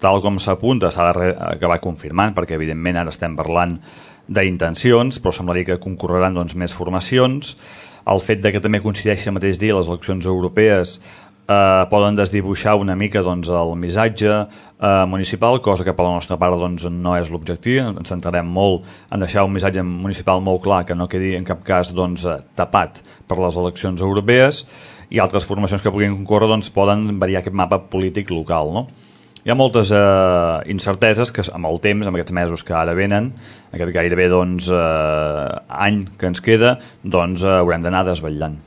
tal com s'apunta, s'ha d'acabar confirmant, perquè evidentment ara estem parlant d'intencions, però semblaria que concorreran doncs, més formacions. El fet de que també coincideixi el mateix dia les eleccions europees poden desdibuixar una mica doncs, el missatge municipal, cosa que per la nostra part doncs, no és l'objectiu. Ens centrarem molt en deixar un missatge municipal molt clar, que no quedi en cap cas doncs, tapat per les eleccions europees, i altres formacions que puguin concórrer doncs, poden variar aquest mapa polític local, no? Hi ha moltes incerteses que amb el temps, amb aquests mesos que ara venen, aquest gairebé doncs, any que ens queda, doncs, haurem d'anar desvetllant.